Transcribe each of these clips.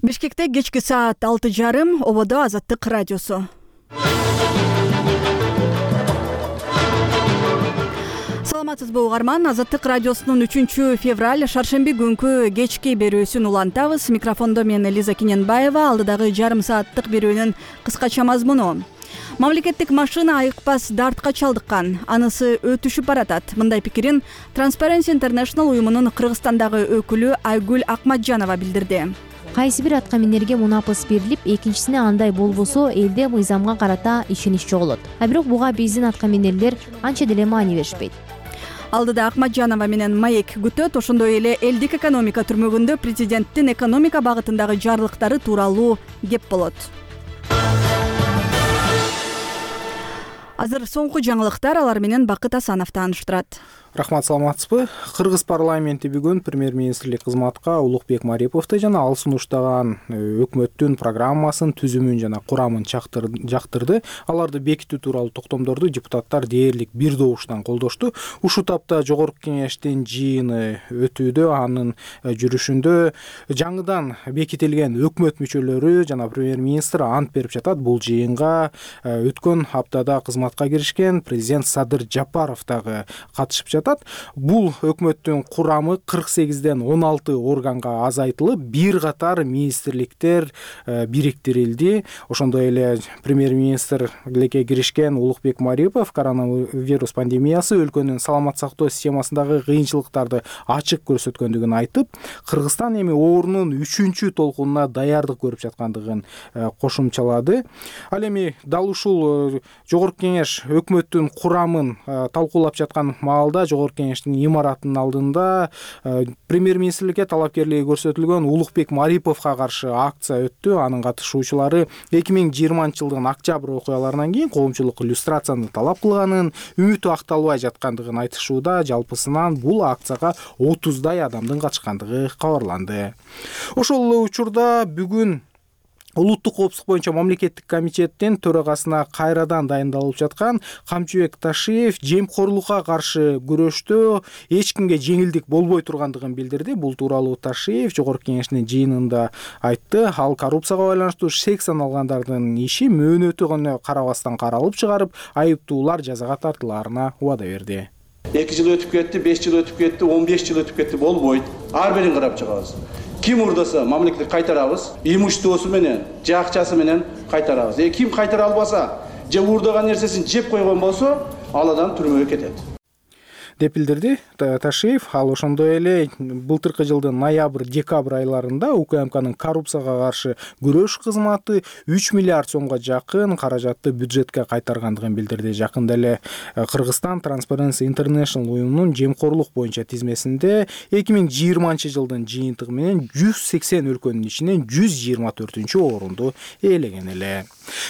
Бишкекте кечки саат 6:30 ободо Азаттык радиосу. Саламатсызбы угарман, Азаттык радиосунун 3-февраль шаршемби күнкү кечки берүүсүн улантабыз. Микрофондо мен Лиза Киненбаева. Алдыдагы жарым сааттык берүүнүн кыскача мазмуну. Мамлекеттик машина айыкпас дартка чалдыккан, анысы өтүшүп баратат. Мындай пикирин Transparency International уюмунун Кыргызстандагы өкүлү Айгүл Акматжанова билдирди. Кайсы бир аткаминерге мунапыс берилип, экинчисине андай болбосо элде мыйзамга карата ишенич жоголот. А бирок буга биздин аткаминерлер анча деле маани беришпейт. Алдыда Акматжанова менен маек күтөт. Ошондой эле элдик экономика түрмөгүндө президенттин экономика багытындагы жарлыктары тууралуу кеп болот. Азыр соңку жаңылыктар, алар менен Бакыт Асанов тааныштырат. Рахмат, саламатсызбы? Кыргыз парламенти бүгүн премьер-министрлик кызматка Улукбек Мариповду жана ал сунуштаган өкмөттүн программасын, түзүмүн жана курамын жактырды. Аларды бекитүү тууралуу токтомдорду депутаттар дээрлик бир добуштан колдошту. Ушул тапта жогорку кеңештин жыйыны өтүүдө, анын жүрүшүндө жаңыдан бекитилген өкмөт мүчөлөрү жана премьер-министр ант берип жатат. Бул жыйынга өткөн аптада кызматка киришкен президент Садыр Жапаров дагы катышып жатат. Бул өкмөттүн курамы 48ден 16 органга азайтылып, бир катар министрликтер бириктирилди. Ошондой эле премьер-министрликке киришкен Улукбек Марипов коронавирус пандемиясы өлкөнүн саламат сактоо системасындагы кыйынчылыктарды ачык көрсөткөндүгүн айтып, Кыргызстан эми оорунун 3-чү толкунуна даярдык көрүп жаткандыгын кошумчалады. Ал эми дал ушул жогорку кеңеш өкмөттүн курамын талкуулап жаткан маалда жогорку кеңештин имаратынын алдында премьер-министрликке талапкерлиги көрсөтүлгөн Улукбек Мариповго каршы акция өттү. Анын катышуучулары 2020-жылдын октябрь окуяларынан кийин коомчулук иллюстрацияны талап кылганын, үмүтү акталбай жаткандыгын айтышууда. Жалпысынан бул акцияга 30дай адамдын катышкандыгы кабарланды. Ошол эле учурда бүгүн Улуттук коопсуздук боюнча мамлекеттик комитеттин төрагасына кайрадан дайындалып жаткан Камчыбек Ташиев жемкорлукка каршы күрөштө эч кимге жеңилдик болбой тургандыгын билдирди. Бул тууралуу Ташиев жогорку кеңештин жыйынында айтты. Ал коррупцияга байланыштуу шек саналгандардын иши мөөнөтү гана карабастан каралып чыгарып, айыптуулар жазага тартылаарына убада берди. 2 жыл өтүп кетти, 5 жыл өтүп кетти, 15 жыл өтүп кетти, болбойт. Ар бирин карап чыгабыз. Ким урдаса мамлекетке кайтарабыз, имуществосу менен, же акчасы менен кайтарабыз. Ким кайтара албаса, же урдаган нерсесин жеп койгон болсо, ал адам түрмөгө кетет, деп билдирди Ташиев. Ал ошондой эле былтыркы жылдын ноябрь-декабрь айларында УКМКнын коррупцияга каршы күрөш кызматы 3 миллиард сомго жакын каражатты бюджетке кайтаргандыгын билдирди. Жакында эле Кыргызстан Transparency International уюмунун жемкорлук боюнча тизмесинде 2020-жылдын жыйынтыгы менен 180 өлкөнүн ичинен 124-орунду ээлеген эле.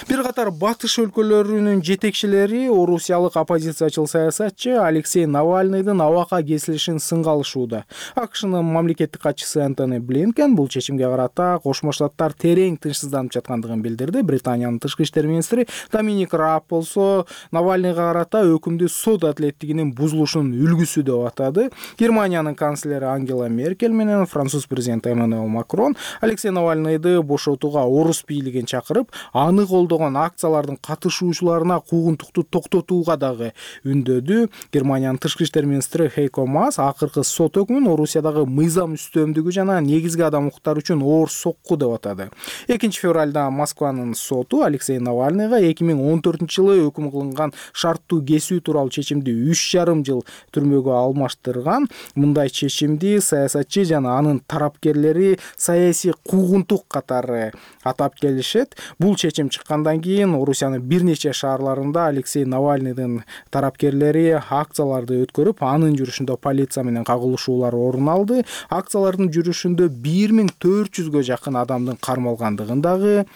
Бир катар батыш өлкөлөрүнүн жетекчилери орусиялык оппозициячыл саясатчы Алексей Навальныйдын абакка кесилишин сынга алышууда. АКШнын мамлекеттик катчысы Антони Блинкен бул чечимге карата Кошмо Штаттар терең тынчсызданып жаткандыгын билдирди. Британиянын тышкы иштер министри Доминик Рааб болсо Навальныйга карата өкүмдү сот адилеттигинин бузулушунун үлгүсү деп атады. Германиянын канцлери Ангела Меркель менен француз президенти Эммануэл Макрон Алексей Навальныйды бошотууга орус бийлигин чакырып, аны колдогон акциялардын катышуучуларына куугунтукту токтотууга дагы үндөдү. Германиянын тышкы иштер министри Хейко Маас акыркы сот өкмүн Орусиядагы мыйзам үстөмдүгү жана негизги адам укуктары үчүн оор сокку деп атады. 2-февралда Москванын соту Алексей Навальныйга 2014-жылы өкүм кылынган шарттуу кесүү тууралуу чечимди 3,5 жыл түрмөгө алмаштырган. Мындай чечимди саясатчы жана анын тарапкерлери саясий куугунтук катары атап келишет. Бул чечим чыккандан кийин Орусиянын бир нече шаарларында Алексей Навальныйдын тарапкерлери акцияларды өткөрүп, анын жүрүшүндө полиция менен кагылышуулар орун алды. Акциялардын жүрүшүндө 1400гө жакын адамдын кармалгандыгын дагы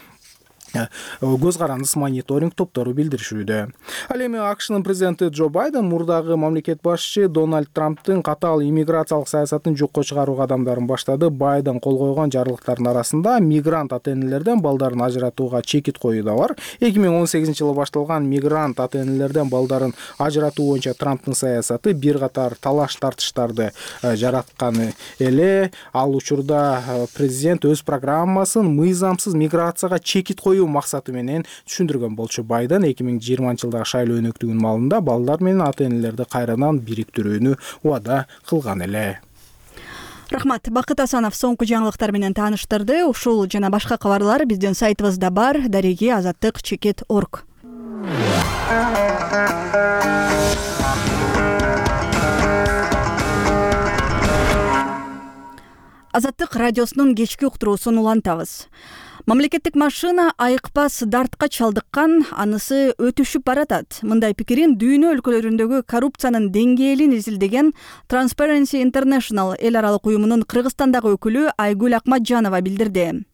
көз карандыс мониторинг топтору билдиришүүдө. Ал эми АКШнын президенти Джо Байден мурдагы мамлекет башчы Дональд Трамптын катаал иммиграциялык саясатын жокко чыгаруу кадамдарын баштады. Байден кол койгон жарлыктардын арасында мигрант ата-энелерден балдарын ажыратууга чекит коюу да бар. 2018-жылы башталган мигрант ата-энелерден балдарын ажыратуу боюнча Трамптын саясаты бир катар талаш-тартыштарды жараткан эле. Ал учурда президент өз программасын мыйзамсыз миграцияга чекит коюу максаты менен түшүндүргөн болчу. Байден 2020-жылдагы шайлоо өнөктүгүнүн маалында балдар менен ата-энелерди кайрадан бириктирүүнү убада кылган эле. Рахмат. Бакыт Асанов соңку жаңылыктар менен тааныштырды. Ушул жана башка кабарлар биздин сайтыбызда бар. Дареги azattik.org. Азаттык радиосунун кечки уктуруусун улантабыз. Мамлекеттик машина айыкпас дартка чалдыккан, анысы өтүшүп баратат. Мындай пикирин дүйнө өлкөлөрүндөгү коррупциянын деңгээлин изилдеген Transparency International эл аралык уюмунун Кыргызстандагы өкүлү Айгүл Акматжанова билдирди.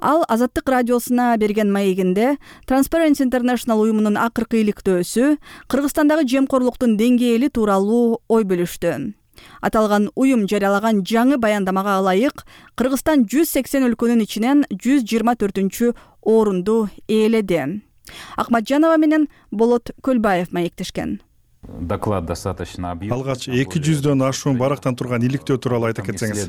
Ал Азаттык радиосуна берген маегинде Transparency International уюмунун акыркы иликтөөсү Кыргызстандагы жемкорлуктун деңгээли тууралуу ой бөлүштү. Аталган уюм жарыялаган жаңы баяндамага ылайык Кыргызстан 180 өлкөнүн ичинен 124 орунду ээледи. Акматжанова менен Болот Көлбаев маектешкен. Доклад достаточно объемный. Алгач 200дөн ашуун барактан турган иликтөө тууралуу айта кетсеңиз.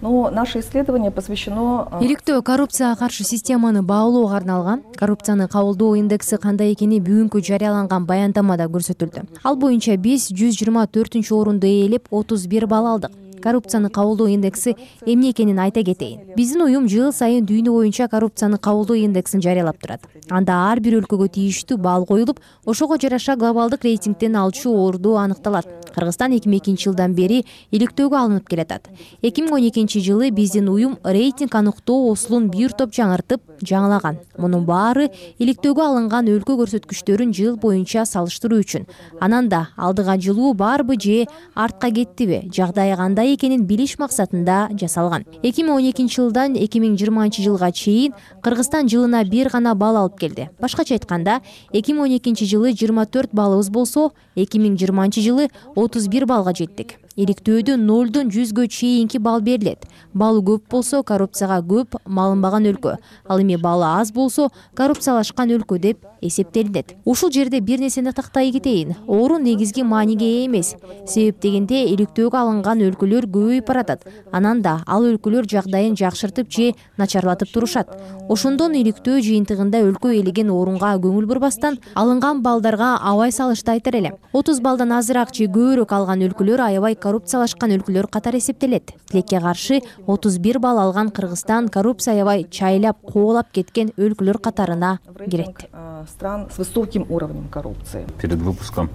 Наше исследование посвящено... Иликтөө коррупцияга каршы системаны баалоого арналган. Коррупцияны кабылдоо индекси кандай экени бүгүнкү жарыяланган баяндамада көрсөтүлдү. Ал боюнча биз 124 орунду ээлеп 31 балл алдык. Коррупцияны кабылдоо индекси эмне экенин айта кетейин. Биздин уюм жыл сайын дүйнө боюнча коррупцияны кабылдоо индексин жарыялап турат. Анда ар бир өлкөгө тийиштүү балл коюлуп, ошого жараша глобалдык рейтингден алчу орду аныкталат. Кыргызстан 2002-жылдан бери иликтөөгө алынып келатат. 2012-жылы биздин уюм рейтинг аныктоо осулун бир топ жаңыртып, жаңылаган. Мунун баары иликтөөгө алынган өлкө көрсөткүчтөрүн жыл боюнча салыштыруу үчүн. Анан да алдыга жылуу барбы же артка кеттиби, жагдайы кандай экенин билиш максатында жасалган. 2012-жылдан 2020-жылга чейин Кыргызстан жылына бир гана балл алып келди. Башкача айтканда, 2012-жылы 24 баллыбыз болсо, 2020-жылы 31 баллга жеттик. Иликтөөдө 0-дон 100гө чейинки балл берилет. Баллы көп болсо коррупцияга көп малынбаган өлкө. Ал эми баллы аз болсо коррупциялашкан өлкө деп эсептелинет. Ушул жерде бир нерсени тактай кетейин. Орун негизги мааниге ээ эмес. Себеп дегенде иликтөөгө алынган өлкөлөр көбөйүп баратат. Анан да ал өлкөлөр жагдайын жакшыртып же начарлатып турушат. Ошондон иликтөө жыйынтыгында өлкө ээлеген орунга көңүл бурбастан алынган балдарга абай салышты айтар элем. 30 балдан азыраак же көбүрөөк алган өлкөлөр аябай коррупциялашкан өлкөлөр катары эсептелет. Тилекке каршы 31 балл алган Кыргызстан коррупция аябай чайлап, коолап кеткен өлкөлөр катарына кирет. Стран с высоким уровнем коррупции. Перед выпуском,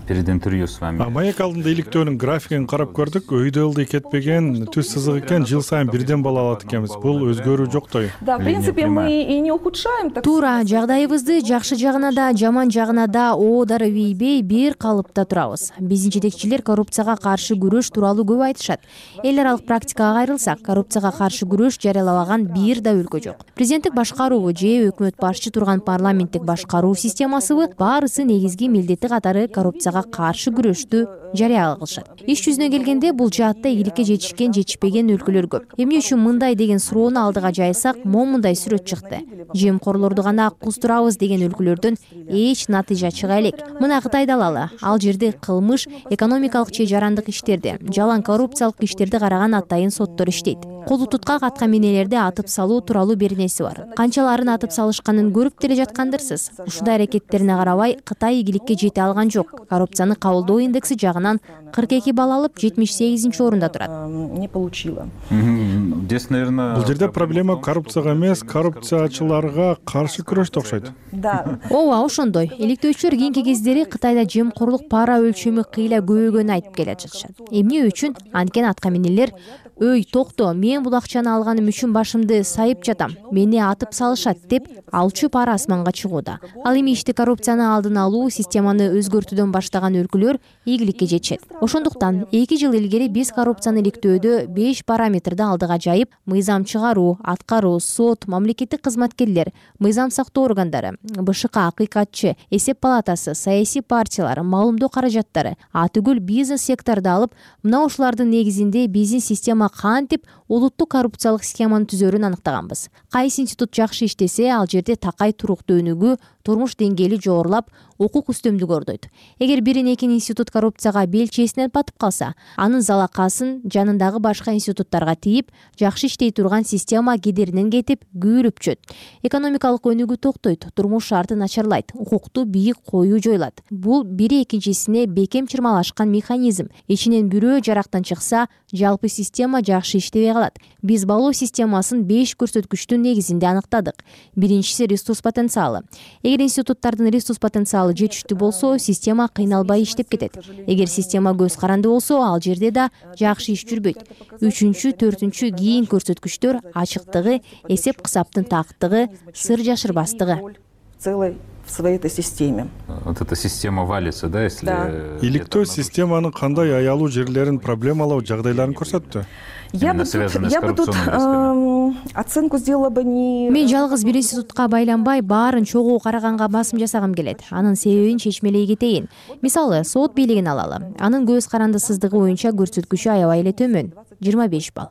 перед интервью с вами. Маек алдында иликтөөнүн графигин карап көрдүк. Өйдө ылдый кетпеген, түз сызык экен, жыл сайын бирден балл алат экенбиз. Бул өзгөрүү жоктой. Да, в принципе, мы и не ухудшаем. Туура, жагдайыбызды жакшы жагына да, жаман жагына да оодары ийбей бир калыпта турабыз. Биздин жетекчилер коррупцияга каршы күрөш тууралуу көп айтышат. Эл аралык практикага кайрылсак, коррупцияга каршы күрөш жарыялабаган бир да өлкө жок. Президенттик башкаруубу же өкмөт башчы турган парламенттик башкаруу системасыбы баарысы негизги милдети катары коррупцияга каршы күрөштү жарыя кылышат. Иш жүзүнө келгенде бул жаатта ийгиликке жетишкен, жетишпеген өлкөлөр көп. Эмне үчүн мындай деген суроону алдыга жайсак, момундай сүрөт чыкты. Жемкорлорду гана куздурабыз деген өлкөлөрдөн эч натыйжа чыга элек. Мына Кытайды алалы. Ал жерде кылмыш, экономикалык же жарандык иштерди, жалаң коррупциялык иштерди караган атайын соттор иштейт. Колу туткак аткаминелерди атып салуу тууралуу бир нерсе бар. Канчаларын атып салышканын көрүп деле жаткандырсыз. Ушундай аракеттерине карабай Кытай ийгиликке жете алган жок. Коррупцияны кабылдоо индекси жагынан 42 балл алып 78 орунда турат. Не получила. Здесь, наверное... Бул жерде проблема коррупцияга эмес, коррупциячыларга каршы күрөштө окшойт. Да. Ооба, ошондой. Иликтөөчүлөр кийинки кездери Кытайда жемкорлук пара өлчөмү кыйла көбөйгөнүн айтып келе жатышат. Эмне үчүн? Анткени аткаминелер «Өй, токто, мен бул акчаны алганым үчүн башымды сайып жатам, мени атып салышат» деп алчу пара асманга чыгууда. Ал эми ишти коррупцияны алдын алуу, системаны өзгөртүүдөн баштаган өлкөлөр ийгиликке жетишет. Ошондуктан 2 жыл илгери биз коррупцияны иликтөөдө 5 параметрди алдыга жайып, мыйзам чыгаруу, аткаруу, сот, мамлекеттик кызматкерлер, мыйзам сактоо органдары, БШК, акыйкатчы, эсеп палатасы, саясий партиялар, маалымдоо каражаттары, атүгүл бизнес секторду алып, мына ушулардын негизинде биздин система кантип улуттук коррупциялык схеманы түзөрүн аныктаганбыз. Кайсы институт жакшы иштесе, ал жерде такай туруктуу өнүгүү, турмуш деңгээли жогорулап, укук үстөмдүгү ордойт. Эгер бирин-экин институт коррупцияга белчесинен батып калса, анын залакасын жанындагы башка институттарга тийип, жакшы иштей турган система кедеринен кетип, күйүлүп чөт. Экономикалык өнүгүү токтойт, турмуш шарты начарлайт, укукту бийик коюу жоюлат. Бул бири экинчисине бекем чырмалашкан механизм. Ичинен бирөө жарактан чыкса, жалпы система жакшы иштебей калат. Биз баалоо системасын 5 көрсөткүчтүн негизинде аныктадык. Биринчиси ресурс потенциалы. Эгер институттардын ресурс потенциалы жетиштүү болсо, система кыйналбай иштеп кетет. Эгер система көз каранды болсо, ал жерде да жакшы иш жүрбөйт. 3-чү, 4-чү кийин көрсөткүчтөр ачыктыгы, эсеп кысаптын тактыгы, сыр жашырбастыгы. В своей этой системе. Вот эта система валится, да, если... Иликтөө системанын кандай аялуу жерлерин, проблемалуу жагдайларын көрсөттү? Я бы тут оценку сделала бы не... Мен жалгыз бир институтка байланбай, баарын чогуу караганга басым жасагым келет. Анын себебин чечмелей кетейин. Мисалы, сот бийлигин алалы. Анын көз карандысыздыгы боюнча көрсөткүчү аябай эле төмөн. 25 балл.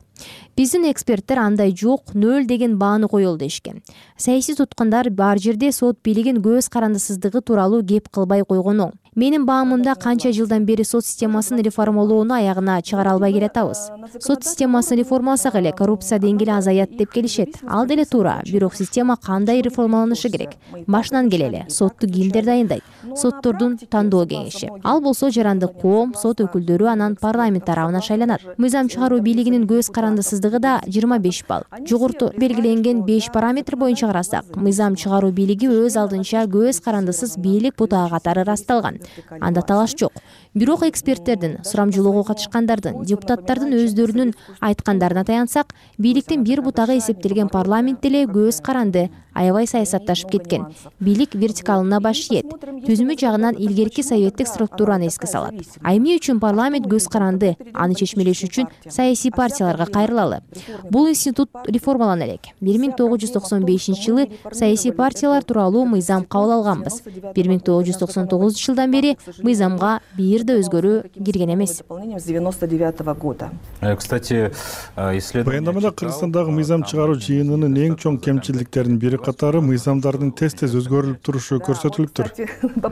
Биздин эксперттер андай жок, 0 деген бааны коелу дешкен. Саясий туткундар бар жерде сот бийлигин көз карандысыздыгы тууралуу кеп кылбай койгон оң. Менин баамымда канча жылдан бери сот системасын реформалоону аягына чыгара албай келатабыз. Сот системасын реформаласак эле коррупция деңгээли азаят деп келишет. Ал деле туура, бирок система кандай реформаланышы керек? Башынан келели, сотту кимдер дайындайт? Соттордун тандоо кеңеши. Ал болсо жарандык коом, сот өкүлдөрү анан парламент тарабынан шайланат. Мыйзам чыгаруу бийлигинин көз карандысыздыгы да 25 балл. Жогоруда белгиленген 5 параметр боюнча карасак, мыйзам чыгаруу бийлиги өз алдынча көз карандысыз бийлик бутаа катары ырасталган. Анда талаш жок. Бирок эксперттердин, сурамжылоого катышкандардын, депутаттардын өздөрүнүн айткандарына таянсак, бийликтин бир бутагы эсептелген парламент деле көз каранды, аябай саясатташып кеткен. Бийлик вертикалына баш ийет. Түзүмү жагынан илгерки советтик структураны эске салат. Эмне үчүн парламент көз каранды? Аны чечмелеш үчүн саясий партияларга кайрылалы. Бул институт реформалана элек. 1995-жылы саясий партиялар тууралуу мыйзам кабыл алганбыз. 1999 жылдан бери мыйзамга бир да өзгөрүү кирген эмес. Кстати, Баяндамада Кыргызстандагы мыйзам чыгаруу жыйынынын эң чоң кемчиликтеринин бири катары мыйзамдардын тез-тез өзгөрүлүп турушу көрсөтүлүптүр.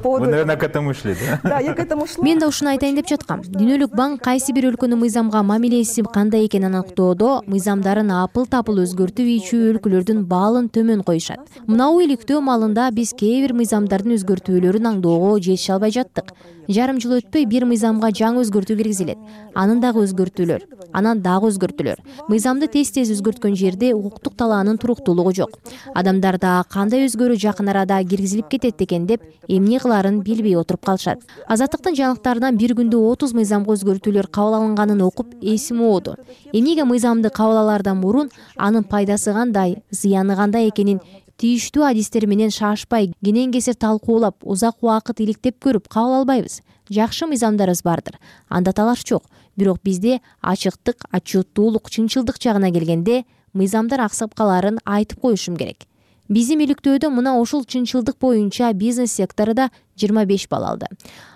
Вы, наверное, к этому шли, да? Да, я к этому шла. Мен да ушуну айтайын деп жаткам. Дүйнөлүк банк кайсы бир өлкөнүн мыйзамга мамилеси кандай экенин аныктоодо мыйзамдарын апыл-тапыл өзгөртүп ийчү өлкөлөрдүн баалын төмөн коюшат. Мынау иликтөө маалында биз кээ бир мыйзамдардын өзгөртүүлөрүн аңдоого жетише албай жаттык. Жарым жыл өтпөй бир мыйзамга жаңы өзгөртүү киргизилет. Анан дагы өзгөртүүлөр, анан дагы өзгөртүүлөр. Мыйзамды тез-тез өзгөрткөн жерде укуктук талаанын туруктуулугу жок. Адамдар да кандай өзгөрүү жакын арада киргизилип кетет экен деп эмне кыларын билбей отуруп калышат. Азаттыктын жаңылыктарынан бир күндө 30 мыйзамга өзгөртүүлөр кабыл алынганын окуп эсим ооду. Эмнеге мыйзамды кабыл алаардан мурун анын пайдасы кандай, зыяны кандай экенин тийиштүү адистер менен шашпай, кенен-кесир талкуулап, узак убакыт иликтеп көрүп кабыл албайбыз. Жакшы мыйзамдарыбыз бардыр. Анда талаш жок. Бирок бизде ачыктык, отчеттуулук, чынчылдык жагына келгенде мыйзамдар аксап калаарын айтып коюшум керек. Биздин иликтөөдө мына ушул чынчылдык боюнча бизнес сектору да 25 балл алды.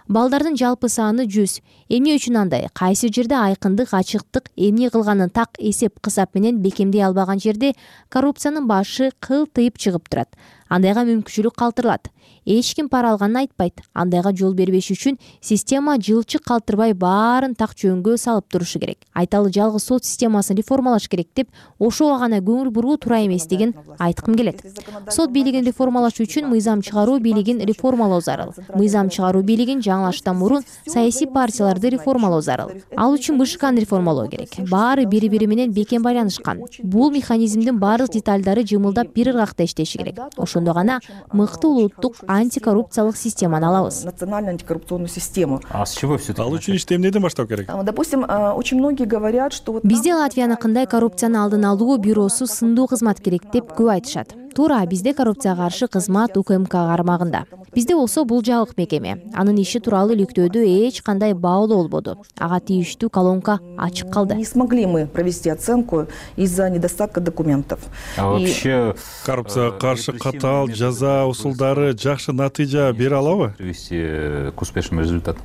Балдардын жалпы саны 100. Эмне үчүн андай? Кайсы жерде айкындык, ачыктык, эмне кылганын так эсеп кысап менен бекемдей албаган жерде коррупциянын башы кылтыйып чыгып турат. Андайга мүмкүнчүлүк калтырылат. Эч ким пара алганын айтпайт. Андайга жол бербеш үчүн система жылчык калтырбай баарын так жөнгө салып турушу керек. Айталы жалгыз сот системасын реформалаш керек деп ошого гана көңүл буруу туура эмес деген айткым келет. Сот бийлигин реформалаш үчүн мыйзам чыгаруу бийлигин реформалоо зарыл. Мыйзам чыгаруу бийлигин жаңылаштан мурун саясий партияларды реформалоо зарыл. Ал үчүн БШКны реформалоо керек. Баары бири-бири менен бекем байланышкан. Бул механизмдин баардык деталдары жымылдап бир ыргакта иштеши керек. Ошондо гана мыкты улуттук антикоррупциялык системаны алабыз. Национальную антикоррупционную систему. А с чего все это? Ал үчүн ишти эмнеден баштап керек? Допустим, очень многие говорят, что... Бизде Латвияныкындай коррупцияны алдын алуу бюросу сындуу кызмат керек деп көп айтышат. туура бизде коррупцияга каршы кызмат УКМК кармагында. Бизде болсо бул жабык мекеме. Анын иши тууралуу иликтөөдө эч кандай баалоо болбоду. Ага тийиштүү колонка ачык калды. Не смогли мы провести оценку из-за недостатка документов. А вообще коррупцияга каршы катаал жаза усулдары жакшы натыйжа бере алабы? Привести к успешному результату.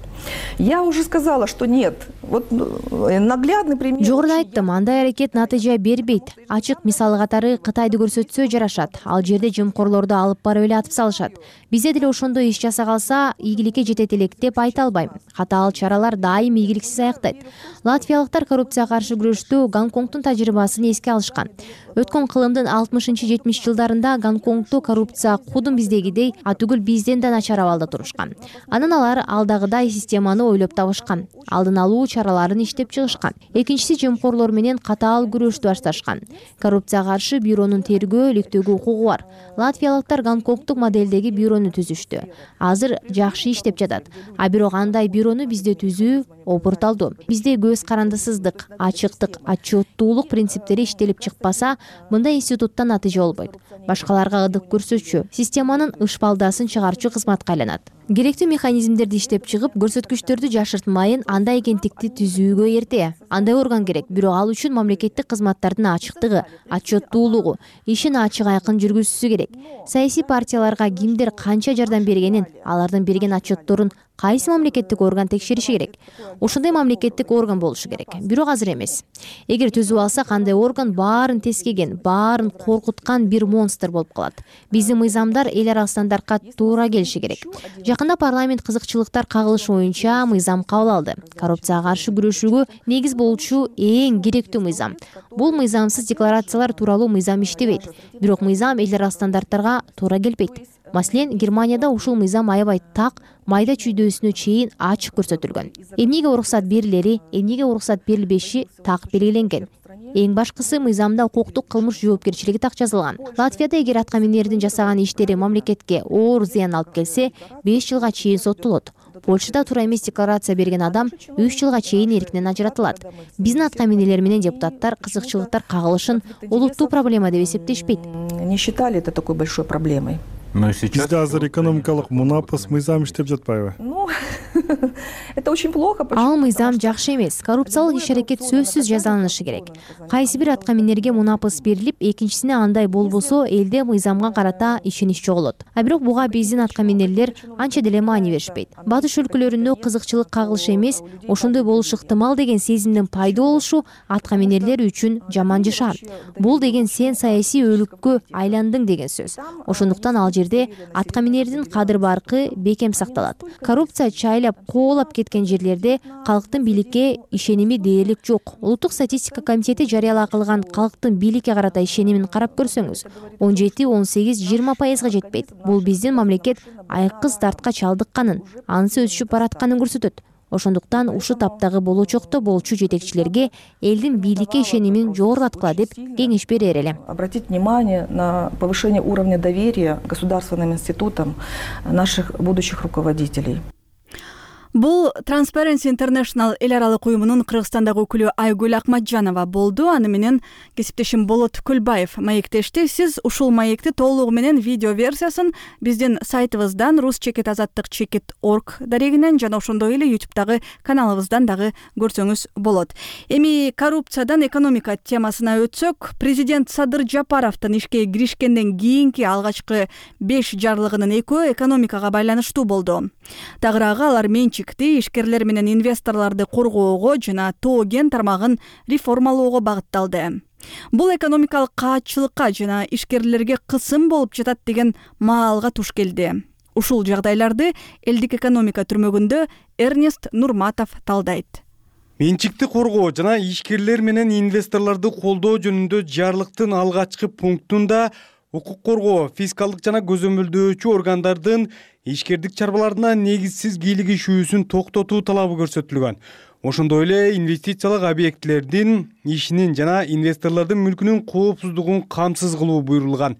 Я уже сказала, что нет. Вот наглядный пример. Жогоруда айттым, андай аракет натыйжа бербейт. Ачык мисалы катары Кытайды көрсөтсө жарашат. Ал жерде жымкорлорду алып барып эле атып салышат. Бизде деле ошондой иш жаса калса, ийгиликке жетет элек деп айта албайм. Катаал чаралар дайым ийгиликсиз аяктайт. Латвиялыктар коррупцияга каршы күрөштө Гонконгдун тажрыйбасын эске алышкан. Өткөн кылымдын 60-70 жылдарында Гонконгдо коррупция кудум биздегидей, түгүл бизден да начар абалда турушкан. Анан алар алдагыдай системаны ойлоп табышкан. Алдын алуу чараларын иштеп чыгышкан. Экинчиси жымкорлор менен катаал күрөштү башташкан. Коррупцияга каршы бюронун тергөө, иликтөөгө укугу бар. Латвиялыктар Гонконгдук модельдеги бюрону түзүштү. Азыр жакшы иштеп жатат. А бирок андай бюрону бизде түзүү опурталдуу. Бизде көз карандысыздык, ачыктык, отчеттуулук принциптери иштелип чыкпаса, мындай институттан натыйжа болбойт. Башкаларга ырдык көрсөтчү, системанын ышпалдасын чыгарчу кызматка айланат. Керектүү механизмдерди иштеп чыгып, көрсөткүчтөрдү жашыртмайын, андай агенттикти түзүүгө эрте. Андай орган керек, бирок ал үчүн мамлекеттик кызматтардын ачыктыгы, отчеттуулугу, ишин ачык айкын жүргүзүүсү керек. Саясий партияларга кимдер канча жардам бергенин, алардын берген отчетторун кайсы мамлекеттик орган текшериши керек. Ошондой мамлекеттик орган болушу керек. Бирок азыр эмес. Эгер түзүп алсак, андай орган баарын тескеген, баарын коркуткан бир монстр болуп калат. Биздин мыйзамдар эл аралык стандартка туура келиши керек. Жакында парламент кызыкчылыктар кагылышы боюнча мыйзам кабыл алды. Коррупцияга каршы күрөшүүгө негиз болчу эң керектүү мыйзам. Бул мыйзамсыз декларациялар тууралуу мыйзам иштебейт. Бирок мыйзам эл аралык стандарттарга туура келбейт. Маселен, Германияда ушул мыйзам аябай так, майда чүйдөөсүнө чейин ачык көрсөтүлгөн. Эмнеге уруксат берилери, эмнеге уруксат берилбеши так белгиленген. Эң башкысы, мыйзамда укуктук кылмыш жоопкерчилиги так жазылган. Латвияда эгер атка минердин жасаган иштери мамлекетке оор зыян алып келсе, 5 жылга чейин соттолот. Польшада туура эмес декларация берген адам 3 жылга чейин эркинен ажыратылат. Биздин атка минелер менен депутаттар кызыкчылыктар кагылышын олуттуу проблема деп эсептешпейт. Не считали это такой большой проблемой. Бизде азыр экономикалык мунапыс мыйзам иштеп жатпайбы? Это очень плохо. Ал мыйзам жакшы эмес. Коррупциялык иш-аракет сөзсүз жазаланышы керек. Кайсы бир атка минерге мунапыс берилип, экинчисине андай болбосо, элде мыйзамга карата ишенич жоголот. А бирок буга биздин атка минерлер анча деле маани беришпейт. Батыш өлкөлөрүндө кызыкчылык кагылышы эмес, ошондой болушу ыктымал деген сезимдин пайда болушу атка минерлер үчүн жаман жашаа. Бул деген сен саясий өлүккө айландың деген сөз. Ошондуктан ал жерде атка минердин кадыр баркы бекем сакталат. Коррупция чайлап коолап кеткен жерлерде калктын бийликке ишеними дээрлик жок. Улуттук статистика комитети жарыялаа кылган калктын бийликке карата ишенимин карап көрсөңүз, 17-18-20% жетпейт. Бул биздин мамлекет айкыз дартка чалдыкканын, анысы өсүшүп баратканын көрсөтөт. Ошондуктан ушу таптагы болочокто болчу жетекчилерге элдин бийликке ишенимин жогорулаткыла деп кеңеш берер элем. Обратить внимание на повышение уровня доверия государственным институтам наших будущих руководителей. Бул Transparency International эл аралык уюмунун Кыргызстандагы өкүлү Айгүл Акматжанова болду. Аны менен кесиптешим Болот Күлбаев маектешти. Сиз ушул маекти толугу менен видео версиясын биздин сайтыбыздан ruscheket-azаттыk-org дарегинен жана ошондой эле YouTube'дагы каналыбыздан дагы көрсөңүз болот. Эми коррупциядан экономика темасына өтсөк, президент Садыр Жапаровдун ишке киришкенден кийинки алгачкы 5 жарлыгынын 2-өө экономикага байланыштуу болду. Тагыраагы алар ишкерлер менен инвесторлорду коргоого жана тоо кен тармагын реформалоого багытталды. Бул экономикалык каатчылыкка жана ишкерлерге кысым болуп жатат деген маалга туш келди. Ушул жагдайларды элдик экономика түрмөгүндө Эрнест Нурматов талдайт. Менчикти коргоо жана ишкерлер менен инвесторлорду колдоо жөнүндө жарлыктын алгачкы пунктунда укук коргоо, фискалдык жана көзөмөлдөөчү органдардын ишкердик чарбаларына негизсиз кийлигишүүсүн токтотуу талабы көрсөтүлгөн. Ошондой эле инвестициялык объектилердин ишинин жана инвесторлордун мүлкүнүн коопсуздугун камсыз кылуу буйрулган.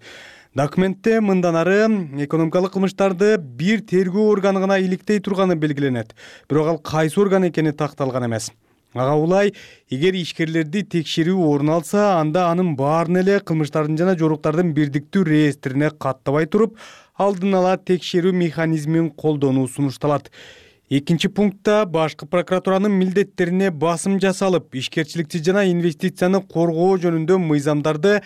Документте мындан ары экономикалык кылмыштарды бир тергөө органы гана иликтей турганы белгиленет. Бирок ал кайсы орган экени такталган эмес. Ага улай, эгер ишкерлерди текшерүү орун алса, анда анын баарын эле кылмыштардын жана жоруктардын бирдиктүү реестрине каттабай туруп, алдын ала текшерүү механизмин колдонуу сунушталат. Экинчи пунктта башкы прокуратуранын милдеттерине басым жасалып, ишкерчиликти жана инвестицияны коргоо жөнүндө мыйзамдарды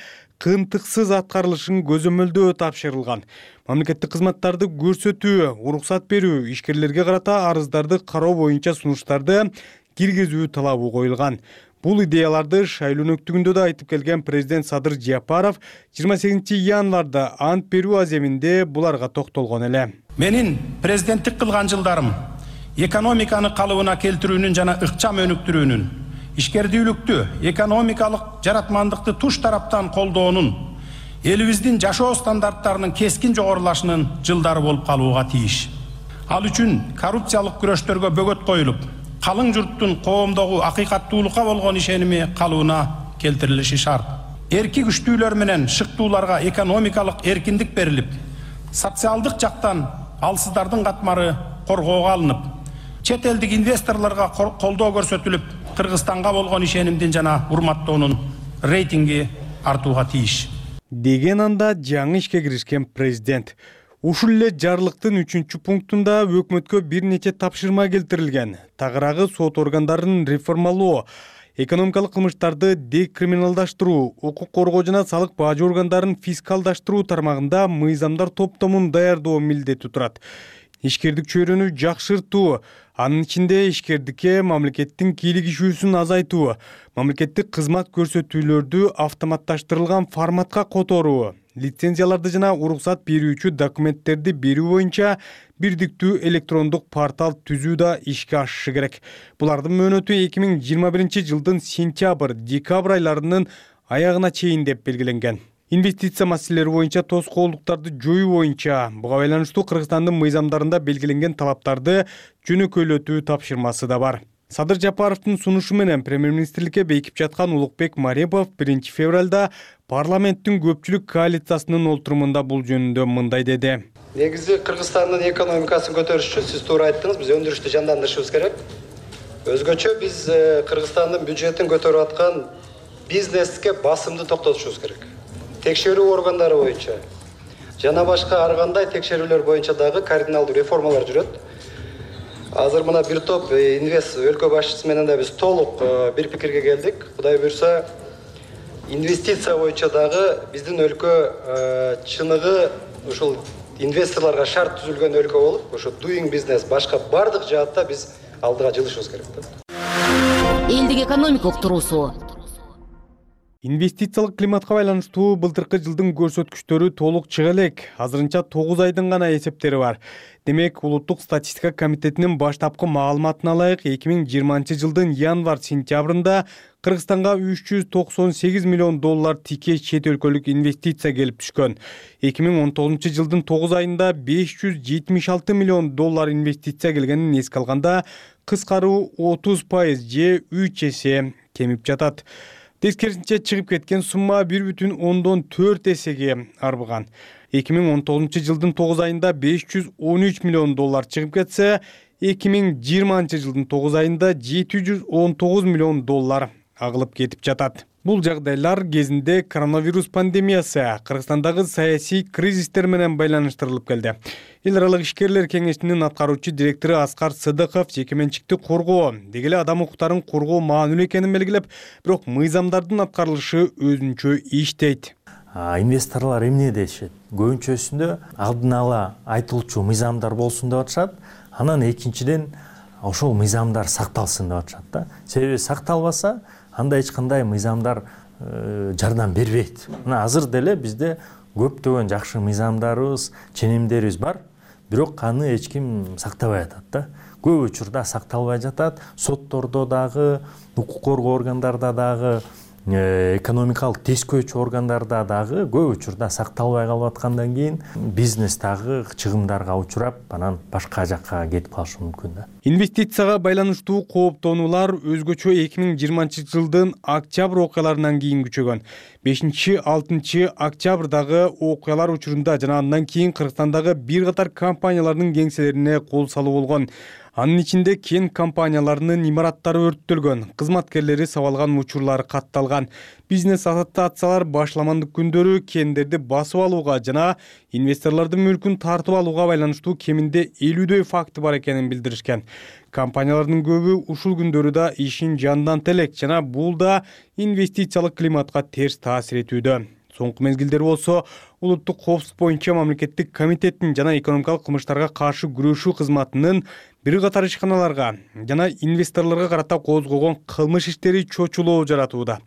кыйынтыксыз аткарылышын көзөмөлдөө тапшырылган. Мамлекеттик кызматтарды көрсөтүү, уруксат берүү, ишкерлерге карата арыздарды кароо боюнча сунуштарды киргизүү талабы коюлган. Бул идеяларды шайлоо өнөктүгүндө да айтып келген президент Садыр Жапаров 28 январда ант берүү аземинде буларга токтолгон эле. Менин президенттик кылган жылдарым экономиканы калыбына келтирүүнүн жана ыкчам өнүктүрүүнүн, ишкердүүлүктү, экономикалык жаратмандыкты туш тараптан колдоонун, элибиздин жашоо стандарттарынын кескин жогорулашынын жылдары болуп калууга тийиш. Ал үчүн коррупциялык күрөштөргө бөгөт коюлуп, калың журттун коомдогу акыйкаттуулукка болгон ишеними калыбына келтирилиши шарт. Эрки күчтүүлөр менен шыктууларга экономикалык эркиндик берилип, социалдык жактан алсыздардын катмары коргоого алынып, чет элдик инвесторлорго колдоо көрсөтүлүп, Кыргызстанга болгон ишенимдин жана урматтоонун рейтинги артууга тийиш. Деген анда жаңы ишке киришкен президент. Ушул эле жарлыктын 3-пунктунда өкмөткө бир нече тапшырма келтирилген. Тагыраагы сот органдарын реформалоо, экономикалык кылмыштарды декриминалдаштыруу, укук коргоо жана салык бажы органдарын фискалдаштыруу тармагында мыйзамдар топтомун даярдоо милдети турат. Ишкердик чөйрөнү жакшыртуу, анын ичинде ишкердикке мамлекеттин кийлигишүүсүн азайтуу, мамлекеттик кызмат көрсөтүүлөрдү автоматташтырылган форматка которуу, лицензияларды жана уруксат берүүчү документтерди берүү боюнча бирдиктүү электрондук портал түзүү да ишке ашышы керек. Булардын мөөнөтү 2021 жылдын сентябрь-декабрь айларынын аягына чейин деп белгиленген. Инвестиция маселелери боюнча тоскоолдуктарды жоюу боюнча буга байланыштуу Кыргызстандын мыйзамдарында белгиленген талаптарды жөнөкөйлөтүү тапшырмасы да бар. Садыр Жапаровдун сунушу менен премьер-министрликке бекип жаткан Улукбек Марипов 1 февралда парламенттин көпчүлүк коалициясынын олтурумунда бул жөнүндө мындай деди. Негизи Кыргызстандын экономикасын көтөрүш үчүн сиз туура айттыңыз, биз өндүрүштү жандандырышыбыз керек. Өзгөчө биз Кыргызстандын бюджетин көтөрүп аткан бизнеске басымды токтотушубуз керек. Текшерүү органдары боюнча жана башка ар кандай текшерүүлөр боюнча дагы кардиналдуу реформалар жүрөт. Азыр мына бир топ инвест өлкө башчысы менен да биз толук бир пикирге келдик. Кудай буйрса, инвестиция боюнча дагы биздин өлкө чыныгы ушул инвесторлорго шарт түзүлгөн өлкө болуп, ошо doing business башка бардык жаатта биз алдыга жылышыбыз керек. Элдик экономика уктуруусу. Инвестициялык климатка байланыштуу былтыркы жылдын көрсөткүчтөрү толук чыга элек. Азырынча 9 айдын гана эсептери бар. Демек, Улуттук статистика комитетинин баштапкы маалыматына ылайык 2020 жылдын январь-сентябрында Кыргызстанга 398 миллион доллар тикей чет өлкөлүк инвестиция келип түшкөн. 2019 жылдын 9 айында 576 миллион доллар инвестиция келгенин эске алганда, кыскаруу 30% же 3 эсе кемип жатат. Тескерисинче чыгып кеткен сумма 1,4 эсеге арбыган. 2019 жылдын 9 айында 513 миллион доллар чыгып кетсе, 2020 жылдын 9 айында 719 миллион доллар агылып кетип жатат. Бул жагдайлар кезинде коронавирус пандемиясы, Кыргызстандагы саясий кризистер менен байланыштырылып келди. Эл аралык ишкерлер кеңешинин аткаруучу директору Аскар Сыдыков жекеменчикти коргоо, деги эле адам укуктарын коргоо маанилүү экенин белгилеп, бирок мыйзамдардын аткарылышы өзүнчө иштейт. Инвесторлор эмне дешет? Көбүнчөсүндө алдын ала айтылчу мыйзамдар болсун деп атышат. Анан экинчиден ошол мыйзамдар сакталсын деп атышат да. Себеби сакталбаса, анда эч кандай мыйзамдар жардам бербейт. Мына азыр деле бизде көптөгөн жакшы мыйзамдарыбыз, ченемдерибиз бар, бирок аны эч ким сактабай атат да. Көп учурда сакталбай жатат. Соттордо дагы, укук коргоо органдарда дагы, экономикалык тескөөчү органдарда дагы көп учурда сакталбай калып аткандан кийин бизнес дагы чыгымдарга учурап, анан башка жакка кетип калышы мүмкүн да. Инвестицияга байланыштуу кооптонуулар өзгөчө 2020 жылдын октябрь окуяларынан кийин күчөгөн. 5-6 октябрдагы окуялар учурунда жана андан кийин Кыргызстандагы бир катар компаниялардын кеңселерине кол салуу болгон. Анын ичинде кен компанияларынын имараттары өрттөлгөн, кызматкерлери сабалган учурлары катталган. Бизнес ассоциациялар башламандык күндөрү кендерди басып алууга жана инвесторлордун мүлкүн тартып алууга байланыштуу кеминде 50дөй факты бар экенин билдиришкен. Компаниялардын көбү ушул күндөрү да ишин жандантат элек жана бул да инвестициялык климатка терс таасир этүүдө. Соңку мезгилдер болсо улуттук коопсуздук боюнча мамлекеттик комитеттин жана экономикалык кылмыштарга каршы күрөшүү кызматынын бир катар ишканаларга жана инвесторлорго карата козгогон кылмыш иштери чочулоо жаратууда.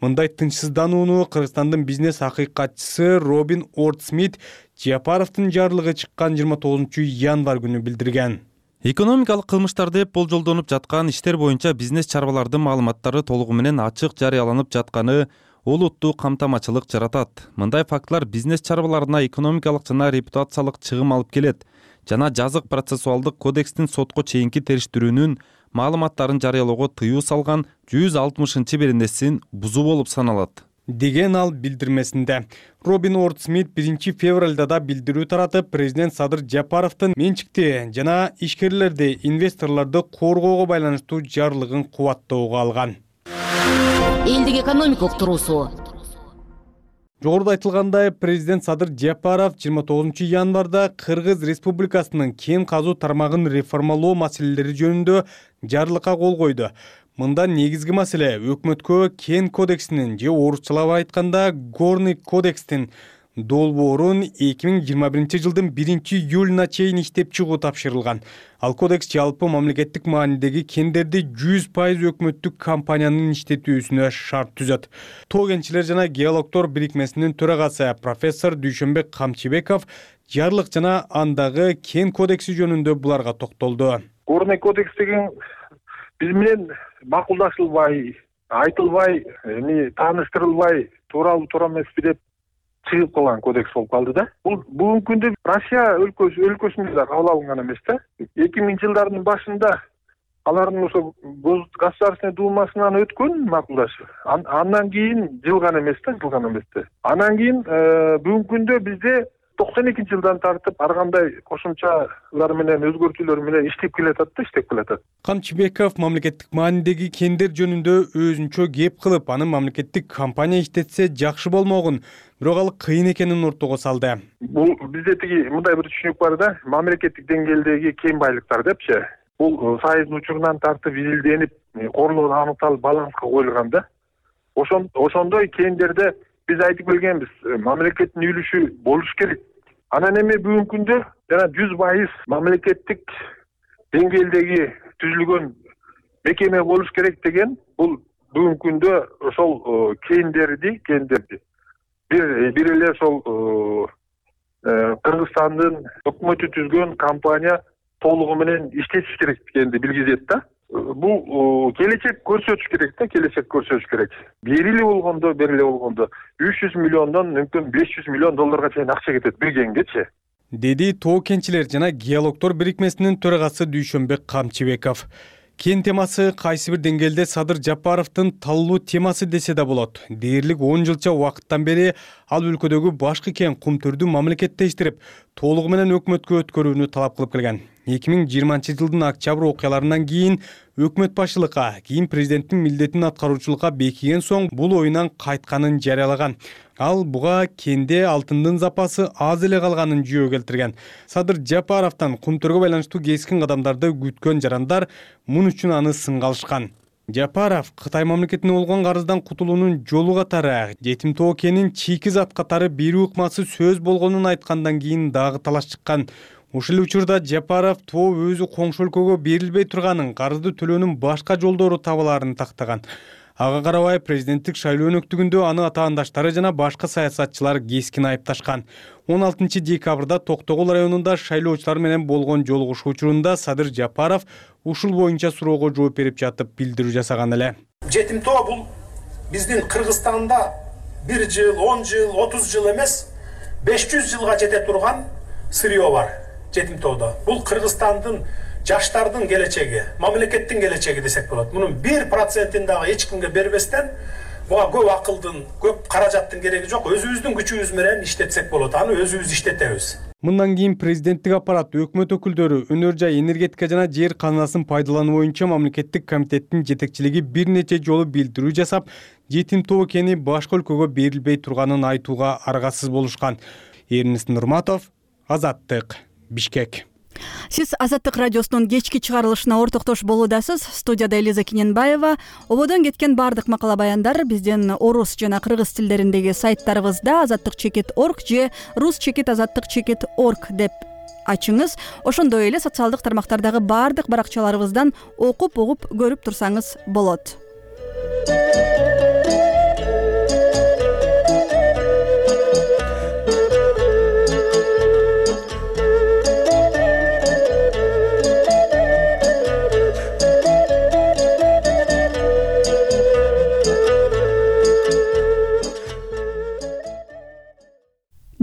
Мындай тынчсызданууну Кыргызстандын бизнес акыйкатчысы Робин Ортсмит Жапаровдун жарлыгы чыккан 29-январь күнү билдирген. Экономикалык кылмыштарды деп болжолдонуп жаткан иштер боюнча бизнес чарбалардын маалыматтары толугу менен ачык жарыяланып жатканы олуттуу камтамачылык жаратат. Мындай фактылар бизнес чарбаларына экономикалык жана репутациялык чыгым алып келет жана жазык процессуалдык кодекстин сотко чейинки териштирүүнүн маалыматтарын жарыялоого тыюу салган 160-беренесин бузуу болуп саналат деген ал билдирмесинде. Робин Ортсмит 1-февралда да билдирүү таратып, президент Садыр Жапаровдун менчикти жана ишкерлерди, инвесторлорду коргоого байланыштуу жарлыгын кубаттоого алган. Элдик экономикалык туруусу. Жогоруда айтылгандай, президент Садыр Жапаров 29-январда Кыргыз Республикасынын кен казуу тармагын реформалоо маселелери жөнүндө жарлыкка кол койду. Мында негизги маселе өкмөткө кен кодексинин же орусчалап айтканда Горный кодекстин долбоорун 2021-жылдын 1-июлуна чейин иштеп чыгуу тапшырылган. Ал кодекс жалпы мамлекеттик маанидеги кендерди 100% өкмөттүк компаниянын иштетүүсүнө шарт түзөт. Тоо кенчилер жана геологдор бирикмесинин төрагасы профессор Дүйшөнбек Камчыбеков жарлык жана андагы кен кодекси жөнүндө буларга токтолду. Горный кодекс деген биз менен макулдашылбай, айтылбай, тааныштырылбай, туура эмеспи деп чыгып калган кодекс болуп калды да. Бул бүгүнкү күндө Россия өлкөсүндө да кабыл алынган эмес да. 2000-жылдардын башында алардын ошо Государственный думасынан өткөн макулдашы. Андан кийин жылган эмес да. Анан кийин бүгүнкү күндө бизде 92-жылдан тартып ар кандай кошумчалар менен өзгөртүүлөр менен иштеп келатат. Камчыбеков мамлекеттик маанидеги кендер жөнүндө өзүнчө кеп кылып, анын мамлекеттик компания иштетсе жакшы болмогун, бирок ал кыйын экенин ортого салды. Бул бизде мындай бир түшүнүк бар да, мамлекеттик деңгээлдеги кен байлыктар депчи. Бул сайыздын учурунан тартып изилденип, корлоо аныкталып баланска коюлган да. Ошондой кендерде биз айтып келгенбиз, мамлекеттин үлүшү болуш керек. Анан эми бүгүнкү күндө жана 100% мамлекеттик деңгээлдеги түзүлгөн мекеме болуш керек деген, бул бүгүнкү күндө ошол кендерди бир эле ошол Кыргызстандын өкмөтү түзгөн компания толугу менен иштетиш керек дегенди билгизет да. Бул келечек көрсөтүш керек. Бериле болгондо 300 миллиондон мүмкүн 500 миллион долларга чейин акча кетет бир кенгечи. Деди тоо кенчилер жана геологдор бирикмесинин төрагасы Дүйшөнбек Камчыбеков. Кен темасы кайсы бир деңгээлде Садыр Жапаровдун таллуу темасы десе да болот. Дээрлик 10 жылча убакыттан бери ал өлкөдөгү башкы кен кумтөрдү мамлекеттештирип, толугу менен өкмөткө өткөрүүнү талап кылып келген. 2020-жылдын октябрь окуяларынан кийин өкмөт башчылыкка, кийин президенттин милдетин аткаруучулукка бекиген соң бул оюнан кайтканын жарыялаган. Ал буга кенде алтындын запасы аз эле калганын жүйө келтирген. Садыр Жапаровдон кумтөргө байланыштуу кескин кадамдарды күткөн жарандар мун үчүн аны сынга алышкан. Жапаров Кытай мамлекетине болгон карыздан кутулуунун жолу катары жетим тоо кенин чийки зат катары берүү ыкмасы сөз болгонун айткандан кийин дагы талаш чыккан. Ушул учурда Жапаров тоо өзү коңшу өлкөгө берилбей турганын, карызды төлөөнүн башка жолдору табыларын тактаган. Ага карабай президенттик шайлоо өнөктүгүндө аны атаандаштары жана башка саясатчылар кескин айыпташкан. 16 декабрда Токтогул районунда шайлоочулар менен болгон жолугушуу учурунда Садыр Жапаров ушул боюнча суроого жооп берип жатып билдирүү жасаган эле. Жетим тоо бул биздин Кыргызстанда 1 жыл, 10 жыл, 30 жыл эмес, 500 жылга жете турган сырьё бар. Жетим тоодо. Бул Кыргызстандын жаштардын келечеги, мамлекеттин келечеги десек болот. Мунун 1%-ин дагы эч кимге бербестен, буга көп акылдын, көп каражаттын кереги жок. Өзүбүздүн күчүбүз менен иштетсек болот. Аны өзүбүз иштетебиз. Мындан кийин президенттик аппарат, өкмөт өкүлдөрү, өнөр жай, энергетика жана жер казынасын пайдалануу боюнча мамлекеттик комитеттин жетекчилиги бир нече жолу билдирүү жасап, жетим тоо кени башка өлкөгө берилбей турганын айтууга аргасыз болушкан. Эрнест Нурматов, Азаттык, Бишкек. Сиз Азаттык радиосунун кечки чыгарылышына ортоктош болуудасыз. Студияда Элиза Киненбаева. Ободон кеткен бардык макала баяндар биздин орус жана кыргыз тилдериндеги сайттарыбызда azattik.org же rus.azattik.org деп ачыңыз. Ошондой эле социалдык тармактардагы бардык баракчаларыбыздан окуп угуп көрүп турсаңыз болот.